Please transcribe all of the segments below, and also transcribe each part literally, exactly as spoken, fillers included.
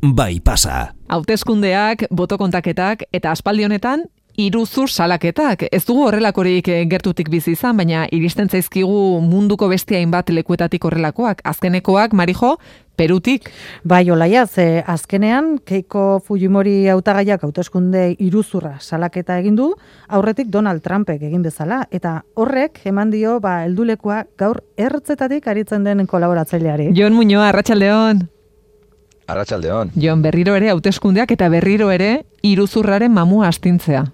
bai pasa. Hauteskundeak, botokontaketak eta aspaldi honetan iruzur salaketak. Ez dugu horrelakorik gertutik bizi izan, baina iristen zaizkigu munduko beste hainbat lekuetatik horrelakoak. Azkenekoak, Marijo, Perutik. Bai, Olaia, ze azkenean Keiko Fujimori hautagaiak hauteskunde iruzurra salaketa egin du, aurretik Donald Trumpek egin bezala, eta horrek eman dio ba heldulekua gaur ertzetatik aritzen den kolaboratzaileari. Jon Muñoa, arratsaldeon. Arratsaldeon. Jon, berriro ere hauteskundeak eta berriro ere iruzurraren mamua astintzea.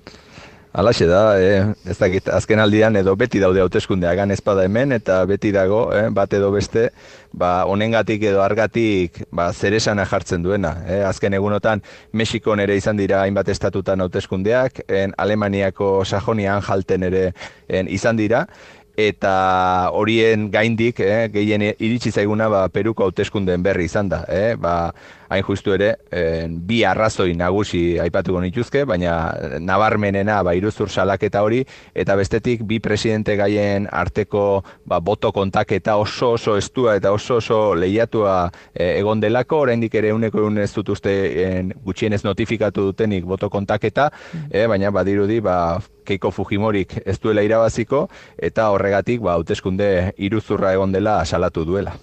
Halaxe da, eh, ez dakit, azken aldian edo beti daude hauteskundeak gan ezpada hemen, eta beti dago, eh, bat edo beste, ba, honengatik edo argatik ba, zeresana jartzen duena. Eh. Azken egunotan, Mexikon ere izan dira hainbat estatutan hauteskundeak, en Alemaniako Sajonian jalten ere en, izan dira, eta horien gaindik, eh, gehien iritsi zaiguna ba, Peruko hauteskundeen berri izan da. Eh. Ba, hain justu ere, eh, bi arrazoi nagusi aipatuko nituzke, baina nabarmenena ba, iruzur salaketa hori, eta bestetik bi presidente gaien arteko ba, boto kontaketa oso oso estua eta oso oso lehiatua eh, egon delako, oraindik ere uneko egun ez dut uste eh, gutxienez notifikatu dutenik boto kontaketa, eh, baina badirudi ba, Keiko Fujimorik ez duela irabaziko, eta horregatik ba, hauteskunde iruzurra egon dela salatu duela.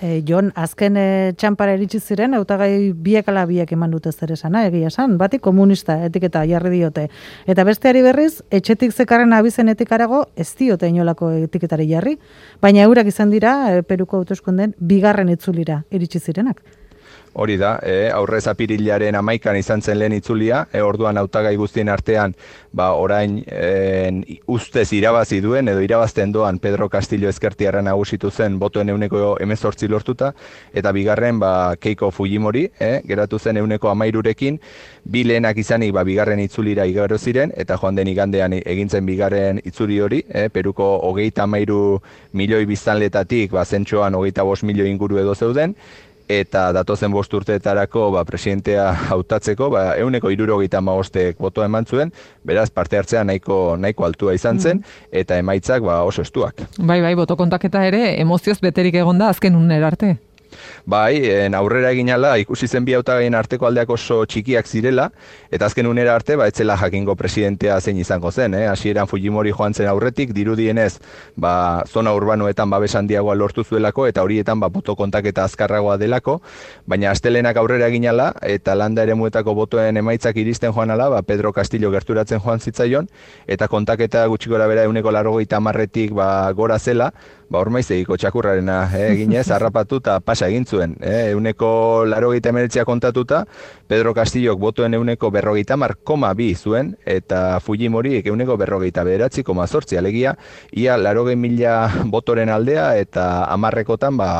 E, Jon, azken e, txampara iritsi ziren, hautagai biek ala biek eman dute zer esana, egia esan, bati komunista etiketa jarri diote. Eta besteari berriz, etxetik zekarren abizenetik arago, ez diote inolako etiketari jarri, baina eurak izan dira, e, Peruko hauteskunden bigarren itzulira iritsi zirenak. Hori da, eh, aurrez apirilaren amaikan izan zen lehen itzulia, eh, orduan hautagai guztien artean, ba, orain eh, ustez irabazi duen, edo irabazten doan Pedro Castillo ezkertiarra nagusitu zen botoen euneko hemezortzi lortuta, eta bigarren ba, Keiko Fujimori, eh, geratu zen euneko amairurekin, bi lehenak izanik ba, bigarren itzulira igaro ziren, eta joan den igandean egintzen bigarren itzuli hori, eh, Peruko hogeita amairu milioi biztanletatik, ba, zentxoan hogeita bost milioi inguru edo zeuden, eta datozen bost urteetarako ba, presidentea hautatzeko, ba, euneko hirurogeita hamabostek botoa eman zuen, beraz parte hartzea nahiko, nahiko altua izan zen, eta emaitzak ba, oso estuak. Bai, bai, botokontaketa ere emozioz beterik egonda azken unera arte. Bai, en aurrera egin ala, ikusi zen bi hautagaien arteko aldeak oso txikiak zirela, eta azken unera arte, ba, etzela jakingo presidentea zein izango zen, eh? Hasieran Fujimori joan zen aurretik, dirudienez, ba, zona urbanoetan babes handiagoa lortu zuelako, eta horietan ba, boto kontaketa azkarragoa delako, baina astelenak aurrera egin ala, eta landa eremuetako botoen emaitzak iristen joan ala, ba, Pedro Castillo gerturatzen joan zitzaion, eta kontaketa gutxi gora bera euneko laurogeita hamarretik ba, gora zela, ba, ormaizegiko txakurrarena eh, eginez, harrapatu eta pasa egin zuen. Eh, euneko laurogeita hemeretzia kontatuta, Pedro Castillok botoen euneko berrogeita hamar koma bi zuen, eta Fujimori euneko berrogeita bederatzi koma zortzi, alegia, ia laurogei mila botoren aldea, eta hamarrekotan, ba,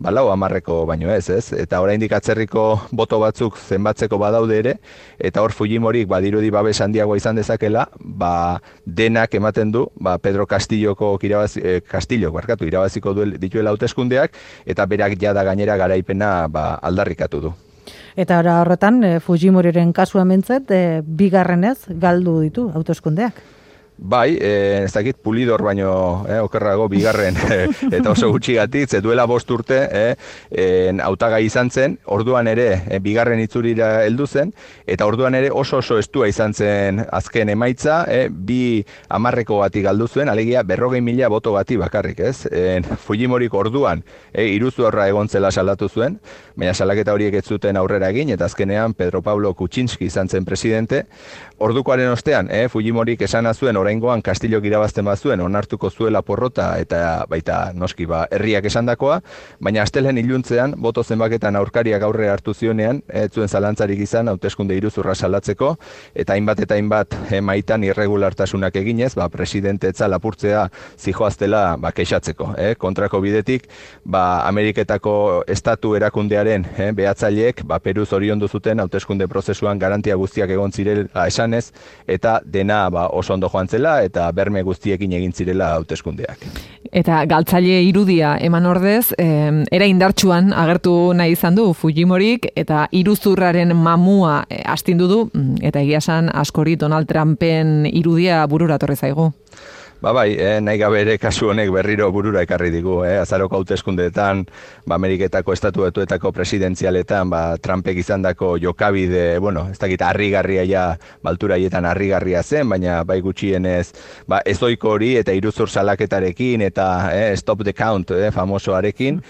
balau hamarreko baino ez, ez? Eta oraindik atzerriko boto batzuk zenbatzeko badaude ere, eta hor Fujimorik badirudi babes handiagoa izan dezakela, ba, denak ematen du, ba, Pedro Castilloko irabazi, eh, Castillok barkatu irabaziko duel, dituela hauteskundeak, eta berak jada gainera garaipena ba, aldarrikatu du. Eta ora horretan, e, Fujimoriren kasua mentzet, e, bigarrenez galdu ditu hauteskundeak. Bai, eh, ez dakit pulidor baino eh, okerrago bigarren eh, eta oso gutxigatik, ze duela bost urte eh, en, hautagai izan zen, orduan ere eh, bigarren itzulira heldu zen, eta orduan ere oso oso estua izan zen azken emaitza, eh, bi hamarreko bati galdu zuen, alegia berrogei mila boto bati bakarrik, ez? En, Fujimorik orduan eh, iruzurra egon zela salatu zuen, baina salaketa horiek ez zuten aurrera egin, eta azkenean Pedro Pablo Kuczynski izan zen presidente. Ordukoaren ostean, eh, Fujimorik esana zuen oraingoan Castillok irabazten bazuen onartuko zuela porrota eta baita noski ba herriak esandakoa, baina astelen iluntzean boto zenbaketan aurkariak aurre hartu zionean, ez zuen zalantzarik izan hauteskunde iruzurra salatzeko, eta hainbat eta hainbat emaitan irregulartasunak eginez, ba presidente etza lapurtzea zijoaztela ba kexatzeko, eh, kontrako bidetik, ba Ameriketako estatu erakundearen eh, behatzaileek ba Peru zoriondu zuten hauteskunde prozesuan garantia guztiak egon zirela esanez, eta dena ba oso ondo joan zela eta berme guztiekin egin zirela hauteskundeak. Eta galtzaile irudia eman ordez, eh, era indartsuan agertu nahi izan du Fujimorik, eta iruzurraren mamua eh, astindu du, eta egia esan askori Donald Trumpen irudia burura torri zaigu. Ba bai, eh, nahi gabe ere kasu honek berriro burura ekarri digu, eh, azaroko hauteskundeetan, ba Ameriketako estatu batuetako presidentzialetan, ba Trumpek izandako jokabide, bueno, ez dakit harrigarria ja, baltura haietan harrigarria zen, baina bai gutxienez, ba ezoiko hori eta iruzur salaketarekin eta eh, stop the count, eh, famosoarekin.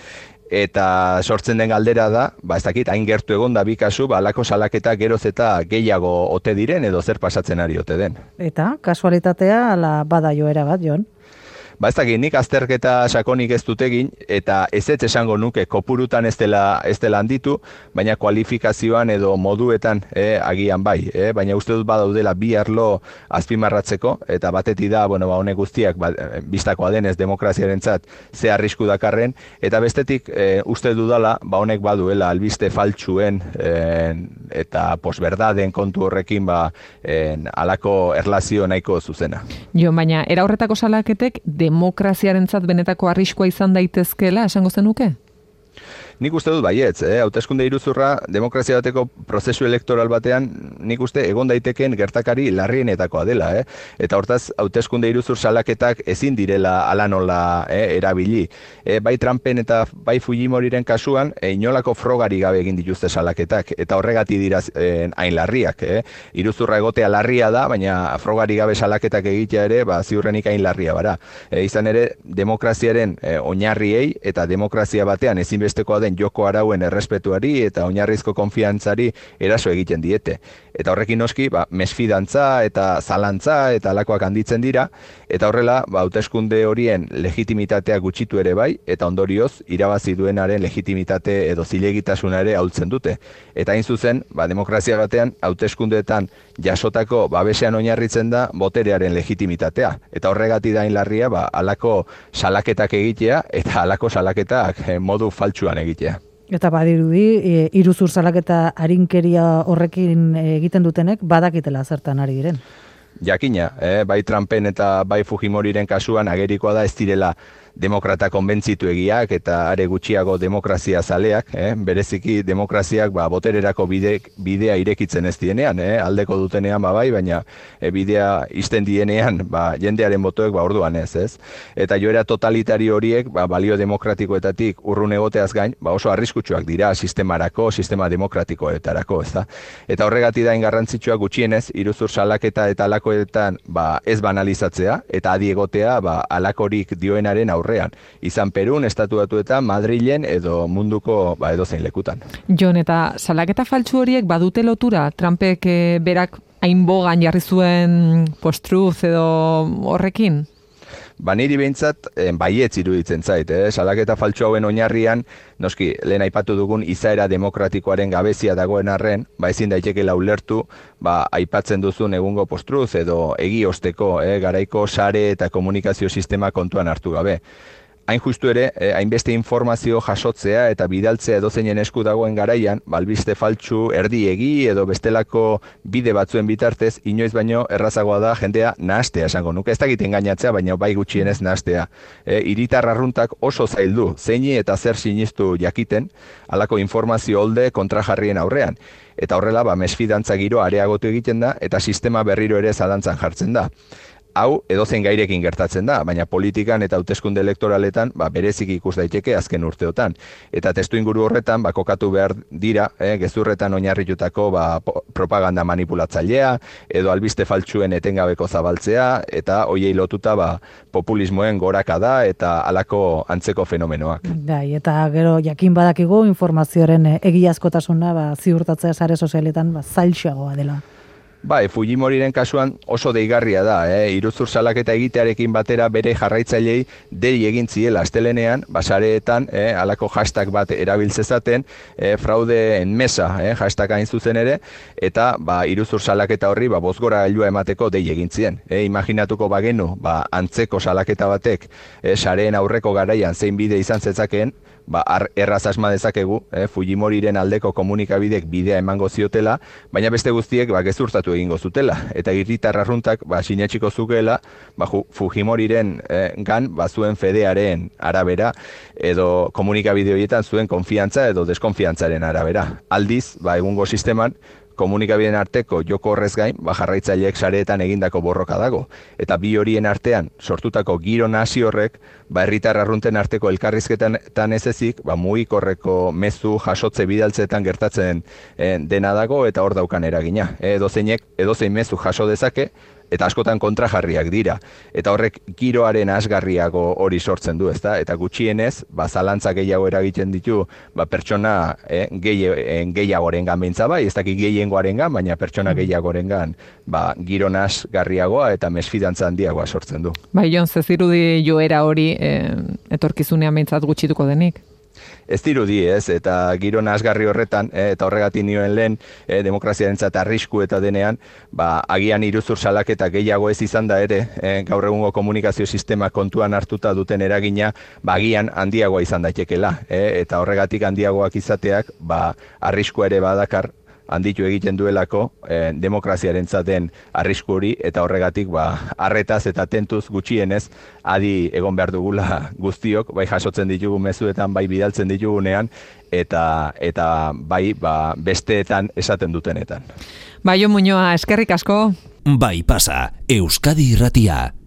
Eta sortzen den galdera da, ba ez dakit, hain gertu egon da bi kasu, ba alako salaketa geroz eta gehiago ote diren edo zer pasatzen ari ote den. Eta kasualitatea ala bada joera bat, Jon? Ba ez dakit, nik azterketa sakonik ez dut egin, eta ez ez esango nuke kopurutan ez dela, ez dela handitu, baina kualifikazioan edo moduetan eh, agian bai, eh? Baina uste dut badaudela bi arlo azpimarratzeko, eta batetik da, bueno, ba, honek guztiak ba, bistakoa denez demokraziarentzat ze arrisku dakarren, eta bestetik eh, uste dudala, ba honek baduela albiste faltsuen eh, eta posberdaden kontu horrekin ba eh, alako erlazio nahiko zuzena. Jo, baina era horretako salaketek demokraziarentzat benetako arriskua izan daitezkeela esango zenuke? Nik uste dut baietz, eh? Hauteskunde iruzurra demokrazia bateko prozesu elektoral batean nik uste egon daiteken gertakari larrienetakoa dela, eh? Eta hortaz hauteskunde iruzur salaketak ezin direla ala nola eh, erabili. Eh, bai Trumpen eta bai Fujimoriren kasuan eh, inolako frogari gabe egin dituzte salaketak eta horregati dira eh, hain larriak, eh? Iruzurra egotea larria da, baina frogari gabe salaketak egitea ere ba ziurrenik hain larria bara. Eh, izan ere demokraziaren eh, oinarriei eta demokrazia batean ezinbestekoa den joko arauen errespetuari eta oinarrizko konfiantzari eraso egiten diete. Eta horrekin noski, ba, mesfidantza eta zalantza eta alakoak handitzen dira, eta horrela, ba, hauteskunde horien legitimitatea gutxitu ere bai, eta ondorioz, irabazi duenaren legitimitate edo zilegitasuna ere ahultzen dute. Eta hain zuzen, ba, demokrazia batean, hauteskundeetan jasotako babesean oinarritzen da boterearen legitimitatea. Eta horregati da larria, ba, alako salaketak egitea eta alako salaketak eh, modu faltsuan egitea. Eta badirudi, e, iruzur salaketa arinkeria horrekin egiten dutenek badakitela zertan ari diren. Jakina, eh, bai Trumpen eta bai Fujimoriren kasuan agerikoa da ez direla demokrata konbentzitu egiak eta are gutxiago demokrazia zaleak, eh? Bereziki demokraziak ba, botererako bide, bidea irekitzen ez dienean, eh? Aldeko dutenean ba bai, baina e, bidea izten dienean ba, jendearen botoek ba, orduan ez, ez? Eta joera totalitario horiek ba, balio demokratikoetatik urrun egoteaz gain, ba, oso arriskutsuak dira sistemarako, sistema demokratikoetarako, ez da? Eta horregati da garrantzitsua gutxienez, iruzur salaketa eta alakoetan ba, ez banalizatzea, eta adi egotea ba, alakorik dioenaren aurrean. Izan Perun, Estatu Batuetan, Madrilen edo munduko ba, edozein lekutan. Jon, eta salaketa faltsu horiek badute lotura Trumpek e, berak hain bogan jarri zuen post-truth edo horrekin? Ba niri behintzat eh, baietz iruditzen zait, eh? Salaketa faltsu hauen oinarrian, noski, lehen aipatu dugun izaera demokratikoaren gabezia dagoen arren, ba ezin daitekeela ulertu, ba aipatzen duzun egungo post-truth edo egiozteko, eh? Garaiko sare eta komunikazio sistema kontuan hartu gabe. Hain justu ere, eh, hainbeste informazio jasotzea eta bidaltzea edozeinen esku dagoen garaian, balbiste faltsu, erdiegi edo bestelako bide batzuen bitartez, inoiz baino errazagoa da jendea nahastea esango nuke. Ez dakit engainatzea, baina bai gutxienez nahastea. E, hiritar arruntak oso zaildu, zeini eta zer sinistu jakiten, halako informazio holde kontrajarrien aurrean. Eta horrela, ba, mesfidantza giro areagotu egiten da, eta sistema berriro ere zalantzan jartzen da. Hau edozein gairekin gertatzen da, baina politikan eta hauteskunde elektoraletan ba, berezik ikus daiteke azken urteotan. Eta testuinguru horretan ba, kokatu behar dira, eh, gezurretan oinarritutako ba, propaganda manipulatzailea, edo albiste faltsuen etengabeko zabaltzea, eta hoiei lotuta ba, populismoen gorakada eta halako antzeko fenomenoak. Bai, eta gero jakin badakigu informazioaren egiazkotasuna ba, ziurtatzea sare sozialetan ba, zailxoagoa dela. Bai, Fujimoriren kasuan oso deigarria da, eh? Iruzur salaketa egitearekin batera bere jarraitzailei dei egin ziela astelenean, basareetan, eh, alako hashtag bat erabiltzezaten, eh, fraude en mesa, eh, hashtag hain zuzen ere, eta ba, iruzur salaketa horri ba, bozgora gailua emateko dei egin zien. Eh, imaginatuko bagenu, ba, antzeko salaketa batek, eh, sareen aurreko garaian zein bide izan zetzakeen, ba, erraz asma dezakegu, eh, Fujimoriren aldeko komunikabidek bidea emango ziotela, baina beste guztiek ba, gezurtatu egingo zutela. Eta hiritar arruntak ba, sinetxiko zukeela ba, Fujimoriren eh, gan ba, zuen fedearen arabera, edo komunikabide horietan zuen konfiantza edo deskonfiantzaren arabera. Aldiz, ba, egungo sisteman, komunikabideen arteko joko horrez gain, ba, jarraitzaileek sareetan egindako borroka dago. Eta bi horien artean sortutako giro nasi horrek, ba, herritar arrunten arteko elkarrizketan ez ezik, ba, mugikorreko mezu jasotze bidaltzeetan gertatzen eh, dena dago, eta hor daukan eragina. E, edozeinek, edozein mezu jaso dezake, eta askotan kontrajarriak dira. Eta horrek giroaren asgarriago hori sortzen du, ezta? Eta gutxienez, ba, zalantza gehiago eragiten ditu, ba, pertsona eh, gehiagorengan beintza bai, ez dakit gehiengoarengan, baina pertsona gehiagorengan, ba, giro asgarriagoa eta mesfidantza handiagoa sortzen du. Bai, Jon, ez dirudi joera hori eh, etorkizunean behintzat gutxituko denik? Ez dirudi, ez, eta giro asgarri horretan, eh, eta horregatik nioen lehen, eh, demokraziarentzat arrisku eta denean, ba, agian iruzur salaketa gehiago ez izan da ere, eh, gaur egungo komunikazio sistema kontuan hartuta duten eragina, ba, agian handiagoa izan daitekela, eh, eta horregatik handiagoak izateak, ba, arriskua ere badakar, handitu egiten duelako eh, demokraziarentzat den arrisku hori, eta horregatik ba, arretaz eta tentuz gutxienez adi egon behar dugula guztiok, bai jasotzen ditugu mezuetan, bai bidaltzen ditugunean, eta eta bai ba, besteetan esaten dutenetan. Bai, Jon Muñoa, eskerrik asko. Bai pasa, Euskadi Irratia.